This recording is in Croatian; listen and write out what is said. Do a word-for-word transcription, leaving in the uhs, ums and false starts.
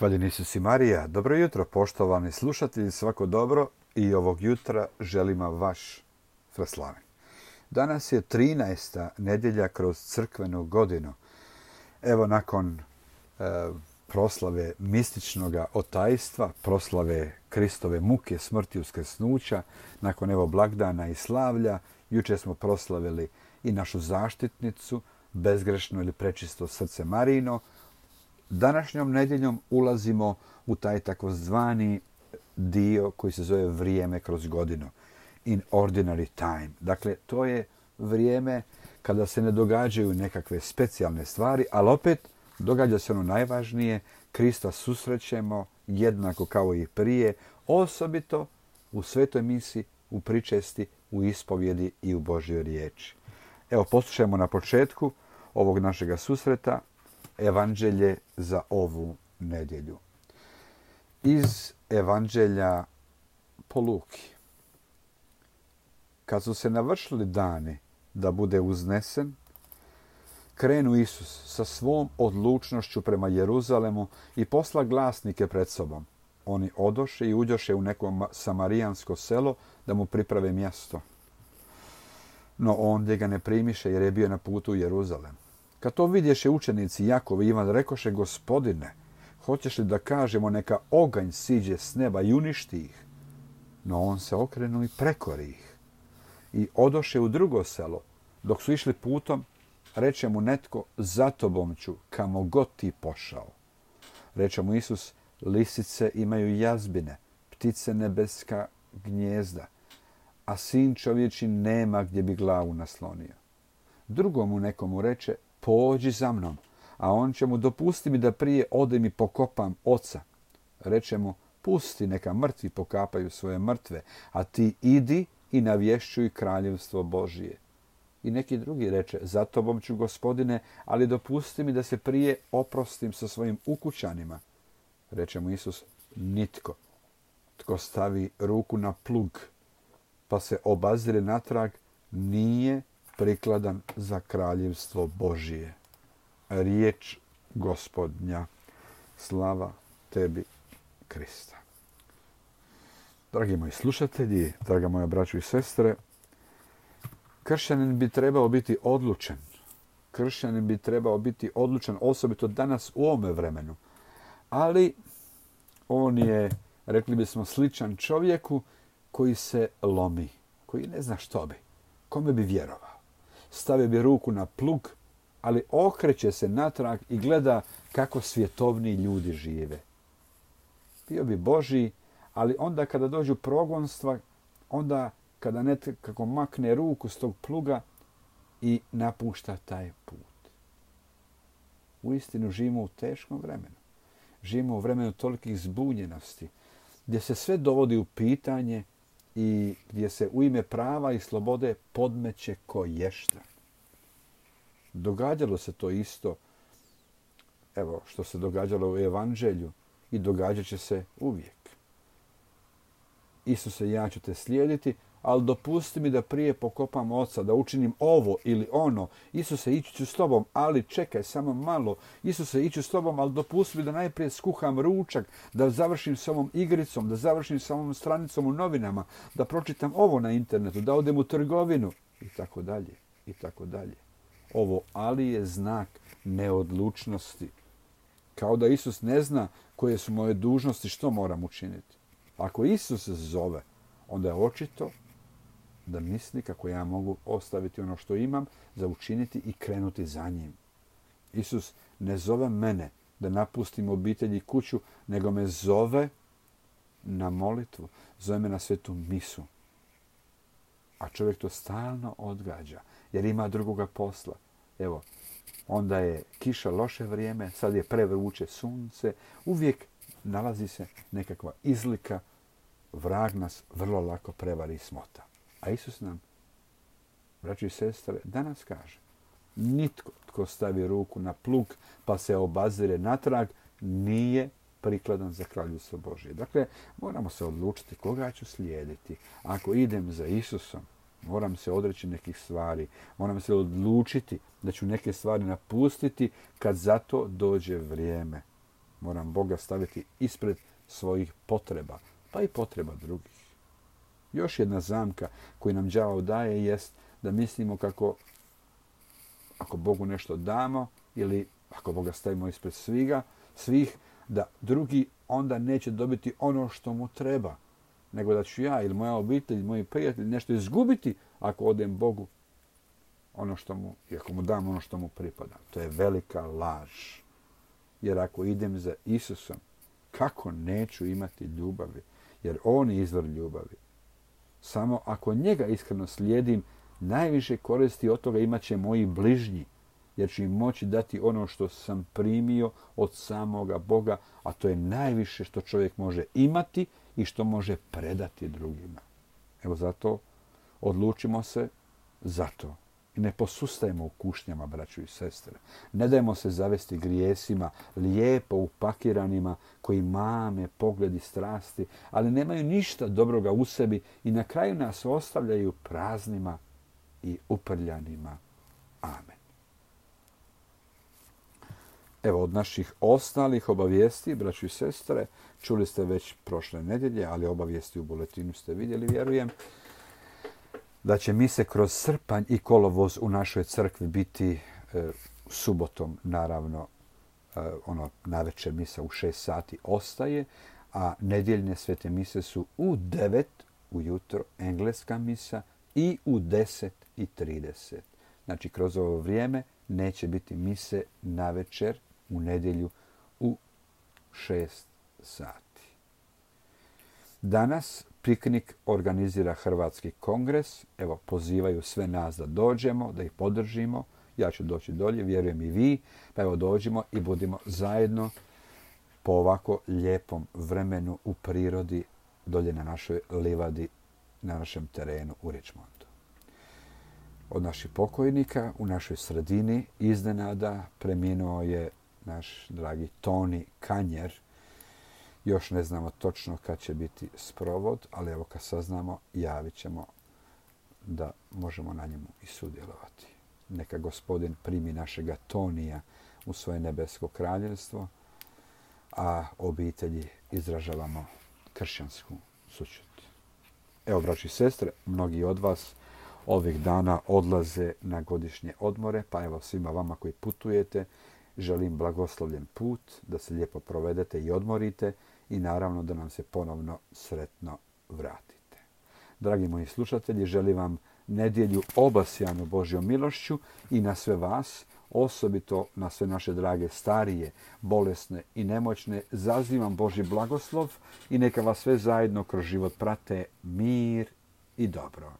Hvaljen Isus i Marija. Dobro jutro, poštovani slušatelji, svako dobro i ovog jutra želima vaš Fraslaven. Danas je trinaesta nedjelja kroz crkvenu godinu. Evo nakon e, proslave mističnog otajstva, proslave Kristove muke, smrti i uskrsnuća, nakon evo blagdana i slavlja, jučer smo proslavili i našu zaštitnicu, bezgrešno ili prečisto srce Marijino. Današnjom nedjeljom ulazimo u taj takozvani dio koji se zove vrijeme kroz godinu. In ordinary time. Dakle, to je vrijeme kada se ne događaju nekakve specijalne stvari, ali opet događa se ono najvažnije. Krista susrećemo jednako kao i prije, osobito u svetoj misi, u pričesti, u ispovjedi i u Božjoj riječi. Evo, poslušajmo na početku ovog našega susreta Evanđelje za ovu nedjelju. Iz Evanđelja po Luki. Kad su se navršili dani da bude uznesen, krenu Isus sa svom odlučnošću prema Jeruzalemu i posla glasnike pred sobom. Oni odoše i uđoše u neko samarijansko selo da mu priprave mjesto. No ondje ga ne primiše jer je bio na putu u Jeruzalem. Kad to vidješe učenici Jakov i Ivan, rekoše: Gospodine, hoćeš li da kažemo neka oganj siđe s neba i uništi ih? No on se okrenuo i prekori ih. I odoše u drugo selo. Dok su išli putom, reče mu netko: za tobom ću, kamo god ti pošao. Reče mu Isus: lisice imaju jazbine, ptice nebeska gnjezda, a sin čovječi nema gdje bi glavu naslonio. Drugomu nekomu reče: pođi za mnom, a on će mu: dopusti mi da prije odem i pokopam oca. Reče mu: pusti, neka mrtvi pokapaju svoje mrtve, a ti idi i navješćuj kraljevstvo Božije. I neki drugi reče: za tobom ću, Gospodine, ali dopusti mi da se prije oprostim sa svojim ukućanima. Reče mu Isus: nitko tko stavi ruku na plug pa se obazire natrag nije prikladan za kraljevstvo Božije. Riječ Gospodnja. Slava tebi, Krista. Dragi moji slušatelji, draga moja braćo i sestre, kršćanin bi trebao biti odlučan. Kršćanin bi trebao biti odlučan, osobito danas u ovome vremenu. Ali on je, rekli bismo, sličan čovjeku koji se lomi, koji ne zna što bi, kome bi vjerovao. Stavio bi ruku na plug, ali okreće se natrag i gleda kako svjetovni ljudi žive. Bio bi Božji, ali onda kada dođu progonstva, onda kada nekako makne ruku s tog pluga i napušta taj put. Uistinu živimo u teškom vremenu. Živimo u vremenu tolikih zbunjenosti, gdje se sve dovodi u pitanje i gdje se u ime prava i slobode podmeće koješta. Događalo se to isto, evo što se događalo u Evanđelju, i događat će se uvijek. Isuse, ja ću te slijediti, ali dopusti mi da prije pokopam oca, da učinim ovo ili ono. Isuse, ići ću s tobom, ali čekaj samo malo. Isuse, ići ću s tobom, ali dopusti mi da najprije skuham ručak, da završim s ovom igricom, da završim s ovom stranicom u novinama, da pročitam ovo na internetu, da odem u trgovinu i tako dalje i tako dalje. Ovo ali je znak neodlučnosti. Kao da Isus ne zna koje su moje dužnosti, što moram učiniti. Ako Isus zove, onda je očito da misli kako ja mogu ostaviti ono što imam za učiniti i krenuti za njim. Isus ne zove mene da napustim obitelj i kuću, nego me zove na molitvu, zove me na svetu misu. A čovjek to stalno odgađa, jer ima drugoga posla. Evo, onda je kiša, loše vrijeme, sad je prevruće sunce, uvijek nalazi se nekakva izlika, vrag nas vrlo lako prevari i smota. A Isus nam, braći i sestre, danas kaže: nitko tko stavi ruku na plug pa se obazire natrag nije prikladan za kraljevstvo Božje. Dakle, moramo se odlučiti koga ću slijediti. Ako idem za Isusom, moram se odreći nekih stvari. Moram se odlučiti da ću neke stvari napustiti kad za to dođe vrijeme. Moram Boga staviti ispred svojih potreba, pa i potreba drugih. Još jedna zamka koju nam đavao daje jest da mislimo kako ako Bogu nešto damo ili ako Boga stavimo ispred sviga, svih, da drugi onda neće dobiti ono što mu treba, nego da ću ja ili moja obitelj ili moji prijatelji nešto izgubiti ako odem Bogu ono što mu, i ako mu dam ono što mu pripada. To je velika laž. Jer ako idem za Isusom, kako neću imati ljubavi? Jer on je izvor ljubavi. Samo ako njega iskreno slijedim, najviše koristi od toga imat će moji bližnji, jer ću im moći dati ono što sam primio od samoga Boga, a to je najviše što čovjek može imati i što može predati drugima. Evo zato odlučimo se za to. I ne posustajemo u kušnjama, braćo i sestre. Ne dajmo se zavesti grijesima, lijepo upakiranima, koji mame pogledi strasti, ali nemaju ništa dobroga u sebi i na kraju nas ostavljaju praznima i uprljanima. Amen. Evo, od naših ostalih obavijesti, braćo i sestre, čuli ste već prošle nedjelje, ali obavijesti u buletinu ste vidjeli, vjerujem, da će mise kroz srpanj i kolovoz u našoj crkvi biti e, subotom, naravno, e, ono, navečer misa u šest sati ostaje, a nedjeljne svete mise su u devet ujutro, engleska misa, i u deset i trideset. Znači, kroz ovo vrijeme neće biti mise navečer u nedjelju u šest sati. Danas piknik organizira Hrvatski kongres. Evo, pozivaju sve nas da dođemo, da ih podržimo. Ja ću doći dolje, vjerujem i vi. Pa evo, dođimo i budimo zajedno po ovako lijepom vremenu u prirodi dolje na našoj livadi, na našem terenu u Richmondu. Od naših pokojnika u našoj sredini iznenada preminuo je naš dragi Toni Kanjer. Još ne znamo točno kad će biti sprovod, ali evo kad saznamo, javit ćemo da možemo na njemu i sudjelovati. Neka Gospodin primi našega Tonija u svoje nebesko kraljevstvo, a obitelji izražavamo kršćansku sućut. Evo, braći i sestre, mnogi od vas ovih dana odlaze na godišnje odmore, pa evo svima vama koji putujete, želim blagoslovljen put, da se lijepo provedete i odmorite i naravno da nam se ponovno sretno vratite. Dragi moji slušatelji, želim vam nedjelju obasjanu Božjom milošću i na sve vas, osobito na sve naše drage starije, bolesne i nemoćne, zazivam Božji blagoslov i neka vas sve zajedno kroz život prate mir i dobro.